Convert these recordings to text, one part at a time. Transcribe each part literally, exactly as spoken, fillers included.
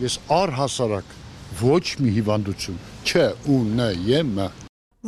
Ես առհասարակ ոչ մի հիվանդություն չունեմ։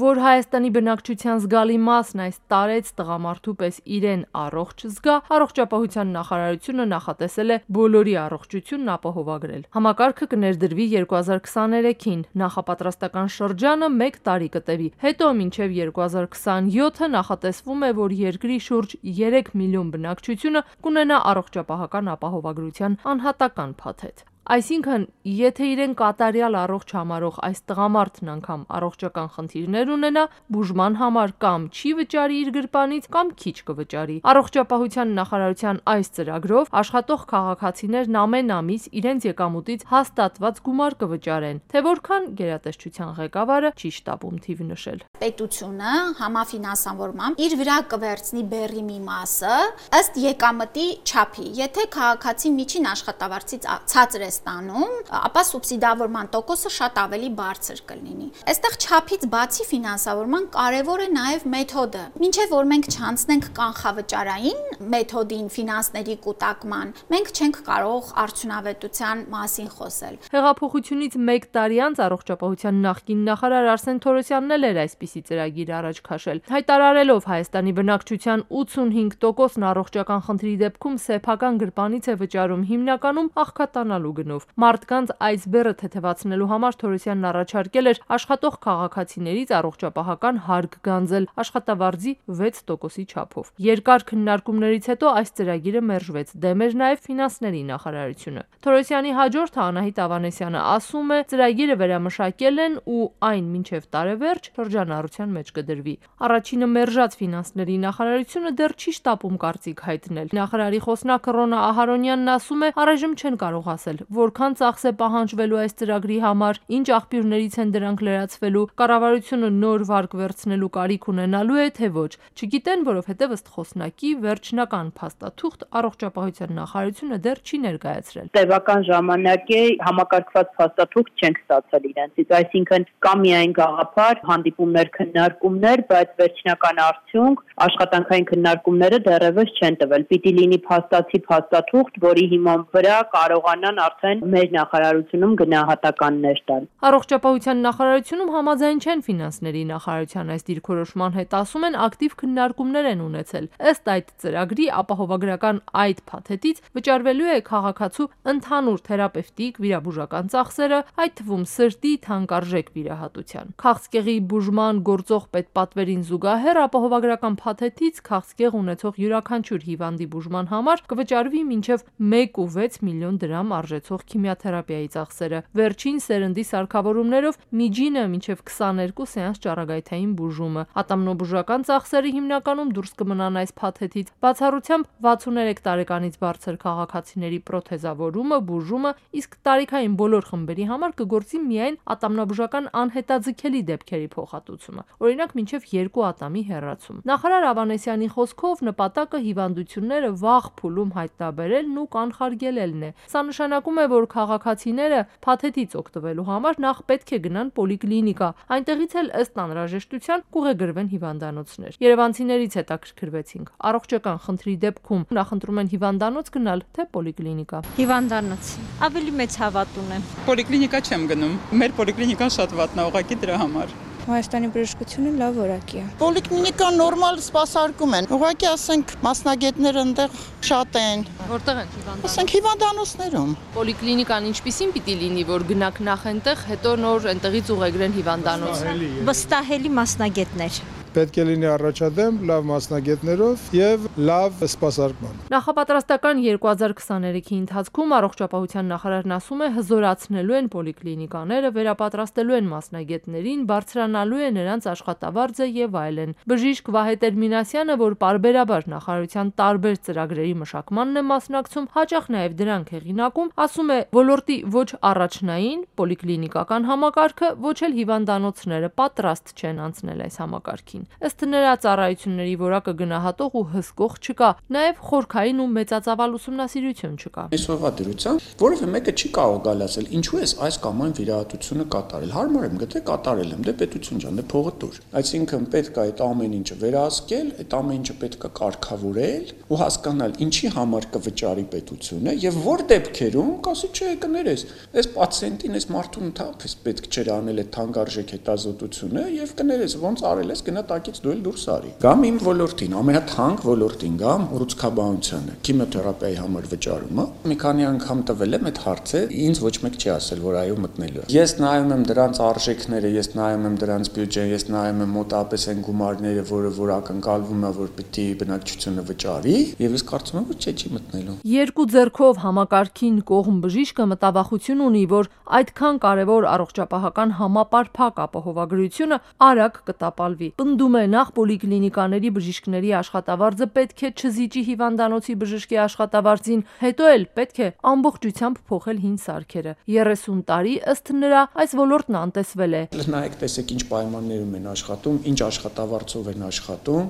Որ Հայաստանի բնակչության զգալի մասն այս տարեց տղամարդու պես իրեն առողջ զգա, առողջապահության նախարարությունը նախատեսել է բոլորի առողջությունն ապահովագրել։ Համակարգը կներդրվի երկու հազար քսաներեքին, նախապատրաստական շրջանը մեկ տարի կտևի, հետո մինչև երկու հազար քսանյոթը նախատեսվում է, որ երկրի շուրջ երեք միլիոն բնակչությունը կունենա առողջապահական ապահովագրության անհատական փաթեթ։ Այսինքն, եթե իրեն կատարյալ առողջ համարող այս տղամարդն անգամ առողջական խնդիրներ ունենա, բուժման համար կամ չի վճարի իր գրպանից, կամ քիչ կվճարի։ Առողջապահության նախարարության այս ծրագրով աշխատող քաղաքացիներն ամեն ամիս իրենց եկամուտից հաստատված գումար կվճարեն, թե որքան գերատեսչության ղեկավարը չի շտապում թիվ նշել։ Պետությունը համաֆինանսավորմամբ իր վրա կվերցնի բեռի մի մասը ըստ եկամտի չափի։ Եթե քաղաքացին միջին աշխատավարձից ցածր է ստանում, ապա սուբսիդավորման տոկոսը շատ ավելի բարձր կլինի։ Այստեղ չափից բացի ֆինանսավորման կարևոր է նաև մեթոդը։ Մինչև որ մենք չանցնենք կանխավճարային մեթոդին ֆինանսների կուտակման, մենք չենք կարող արդյունավետության մասին խոսել։ Հեղափոխությունից մեկ տարի անց առողջապահության նախկին նախարար Արսեն Թորոսյանն էլ էր այսպիսի ծրագիր առաջ քաշել, հայտարարելով Հայաստանի բնակչության ութսունհինգ տոկոսն առողջական խնդրի դեպքում սեփական գրպանից է վճարում, հիմնականում աղքատանալու գնով։ Մարդկանց այս բեռը թեթևացնելու համար Թորոսյանն առաջարկել էր աշխատող քաղաքացիներից առողջապահական հարկ գանձել աշխատավարձի վեց տոկոսի չափով։ Երկար քննարկումներից հետո այս ծրագիրը մերժվեց, դեմ էր նաև ֆինանսների նախարարությունը։ Թորոսյանի հաջորդը Անահիտ Ավանեսյանը ասում է, ծրագիրը վերամշակել են ու այն մինչև տարեվերջ շրջանառության մեջ կդրվի։ Առաջինը մերժած ֆինանսների նախարարությունը դեռ չի շտապում կարծիք հայտնել։ Նախարարի խոսնակ Ռոնա Ահարոնյանն ասում է, առայժմ չեն կարող ասել, որքան ծախս է պահանջվելու այս ծրագրի համար, ինչ աղբյուրներից են դրանք լրացվելու, կառավարությունը նոր վարկ վերցնելու կարիք ունենալու է, թե ոչ։ Չգիտեն, որովհետև ըստ խոսնակի վերջնական փաստաթուղթ առողջապահության նախարարությունը դեռ չի ներկայացրել։ Տևական ժամանակ է համակարգված փաստաթուղթ չենք ստացել իրենցից, այսինքն կա միայն գաղափար, հանդիպումներ, քննարկումներ, բայց վերջնական արդյունք աշխատանքային քննարկումները դեռևս չեն տվել։ Պիտի լինի փաստացի փաստաթուղթ, որի հիման վրա կարողանան արդեն մեր նախարարությունում գնահատականներ տալ։ Առողջապահության նախարարությունում համաձայն չեն ֆինանսների նախարարության այս դիրքորոշման հետ, ասում են ակտիվ քննարկումներ են ունեցել։ Ըստ այդ ծրագրի ապահովագրական այդ փաթեթից վճարվելու է քաղաքացու ընդհանուր թերապևտիկ վիրաբուժական ծախսերը, այդ թվում սրտի թանկարժեք վիրահատության։ Քաղցկեղի բուժման գործող պետպատվերին զուգահեռ ապահովագրական փաթեթից քաղցկեղ ունեցող յուրաքանչյուր հիվանդի բուժման համար կվճարվի մինչև մեկ ու վեց միլիոն դրամ արժեցող քիմիաթերապիայի ծախսերը։ Վերջին սերնդի սարքավորումներով միջինը մինչև քսաներկու սեանս ճառագայթային բուժումը։ Ատամնոբուժական ծախսերը հիմնականում դուրս կմնան այս փաթեթից, բացառությամբ վաթսուներեք տարեկանից բարձր քաղաքացիների պրոթեզավորումը, բուժումը, իսկ տարիքային բոլոր խմբերի համար կգործի միայն ատամնաբուժական անհետաձգելի դեպքերի փոխհատուցումը, օրինակ մինչև երկու ատամի հեռացում։ Նախարար Ավանեսյանի խոսքով նպատակը հիվանդությունները վաղ փուլում հայտնաբերելն ու կանխարգելելն է։ Սա նշանակում է, որ քաղաքացիները փաթեթից օգտվելու համար նախ պետք է գնան պոլիկլինիկա, այնտեղից էլ ըստ անհրաժեշտության կուղեգրվեն հիվանդանոցներ։ Երևանցիներից հետաքրքրվեցինք, առողջական խնդրի դեպքում նախընտրում են հիվանդանոց գնալ, թե պոլիկլինիկա։ Հիվանդանոց։ Ավելի մեծ հավատ ունեմ։ Պոլիկլինիկա չեմ գնում։ Մեր պոլիկլինիկան շատ վատնա, ուղղակի դրա համար։ Հայաստանի բժշկությունը լավ որակի է։ Պոլիկլինիկան նորմալ սպասարկում են։ Ուղղակի ասենք մասնագետները այնտեղ շատ են։ Որտեղ են հիվանդանոց։ Ասենք հիվանդանոցներում։ Պոլիկլինիկան ինչպիսին պիտի լինի, որ գնաք նախ այնտեղ, հետո նոր այնտեղից ուղեգրեն հիվանդանոց։ Վստահելի մասնագետներ։ Պետք է լինի առաջադեմ, լավ մասնագետներով եւ լավ սպասարկման։ Նախապատրաստական երկու հազար քսաներեքի ընթացքում առողջապահության նախարարն ասում է, հզորացնելու են պոլիկլինիկաները, վերապատրաստելու են մասնագետներին, բարձրանալու է նրանց աշխատավարձը եւ այլն։ Բժիշկ Վահե Տերմինասյանը, որ պարբերաբար նախարարության տարբեր ծրագրերի մշակմանն է մասնակցում, հաճախ նաեւ դրանք հեղինակում, ասում է, ոլորտի ոչ առաջնային պոլիկլինիկական համակարգը, ոչ էլ հիվանդանոցները պատրաստ չեն անցնել այս համակարգին։ մասին։ Ըստ նրա, ծառայությունների որակը գնահատող ու հսկող չկա, նաև խորքային ու մեծածավալ ուսումնասիրություն չկա։ Այսօրվա դրությամբ որևէ մեկը չի կարող գալ ասել, ինչու է այս կամ այն վիրահատությունը կատարել։ Հարմար եմ գտե կատարել եմ, դե պետություն ջան, դե փողը տուր։ Այսինքն պետք է այդ ամեն ինչը վերահսկել, այդ ամեն ինչը պետք է կարգավորել ու հասկանալ ինչի համար կվճարի պետությունը եւ որ դեպքերում կասի չէ կներես, այս պացիենտին, այս մարդուն թափես պետք չէր անել այդ թանկարժեք հետազոտությունը եւ կներես ոնց արել ես գնա տակից դու էլ դուրս արի։ Կամ իմ ոլորտին, ամենաթանկ ոլորտին գամ ռուցկաբանությանը, քիմիոթերապիայի համար վճարումը։ Մի քանի անգամ տվել եմ այդ հարցը, ինձ ոչ մեկ չի ասել, որ այո մտնելու։ Ես նայում եմ դրանց արժեքները, ես նայում եմ դրանց բյուջեն, ես նայում եմ մոտավորապես այն գումարները, որը որ ակնկալվում է, որ պիտի բնակչությունը վճարի, եւ ես կարծում եմ, որ չէ, չի մտնելու։ Երկու ձեռքով համակարգին կողմ բժիշկը մտավախություն ունի, որ այդքան կարևոր առողջապահական համապարփակ ապահովագրությունը արագ կտապալվի։ Պնդում է նախ պոլիկլինիկաների բժիշկների աշխատավարձը պետք է չզիջի հիվանդանոցի բժշկի աշխատավարձին, հետո էլ պետք է ամբողջությամբ փոխել հին սարքերը։ երեսուն տարի ըստ նրա այս ոլորտն անտեսվել է։ Նայեք, տեսեք ինչ պայմաններում են աշխատում, ինչ աշխատավարձով են աշխատում,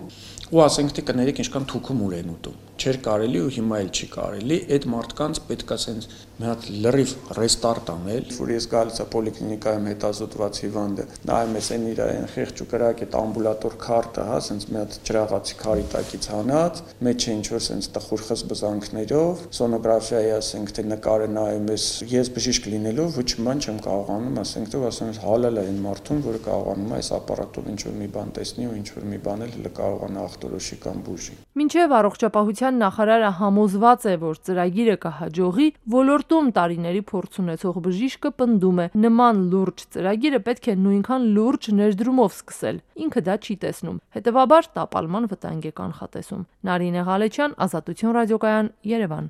ու ասենք թե կներեք ինչքան թուքում ուր են ուտում։ Չէր կարելի ու հիմա էլ չի կարելի, այդ մարդկանց պետք է ասենց մի հատ լրիվ ռեստարտ անել, որ ես գալիս եմ պոլիկլինիկայում հետազոտված հիվանդը, նայում ես այն իր այն խեղճ ու կրակ այդ ամբուլատոր քարտը, հա, ասենց մի հատ ջրաղացի քարի տակից հանած, մեջ է ինչ որ ասենց տխուր խզբզանքներով, սոնոգրաֆիայի ասենք թե նկարը նայում ես, ես բժիշկ լինելով ոչ մի բան չեմ կարողանում, ասենք թե ասում ես հալալ է այն մարդուն, որը կարողանում է այս ապարատով ինչ որ մի բան տեսնի ու ինչ որ մի բան էլ կարողանա ախտորոշի կամ բուժի։ Մինչև առողջապահության նախարարը համոզված է, որ ծրագիրը կհաջողի, ոլորտում տարիների փորձ ունեցող բժիշկը պնդում է, նման լուրջ ծրագիրը պետք է նույնքան լուրջ ներդրումով սկսել։ Ինքը դա չի տեսնում, հետևաբար տապալման վտանգ է կանխատեսում։ Նարինե Ղալեչյան, Ազատություն ռադիոկայան, Երևան։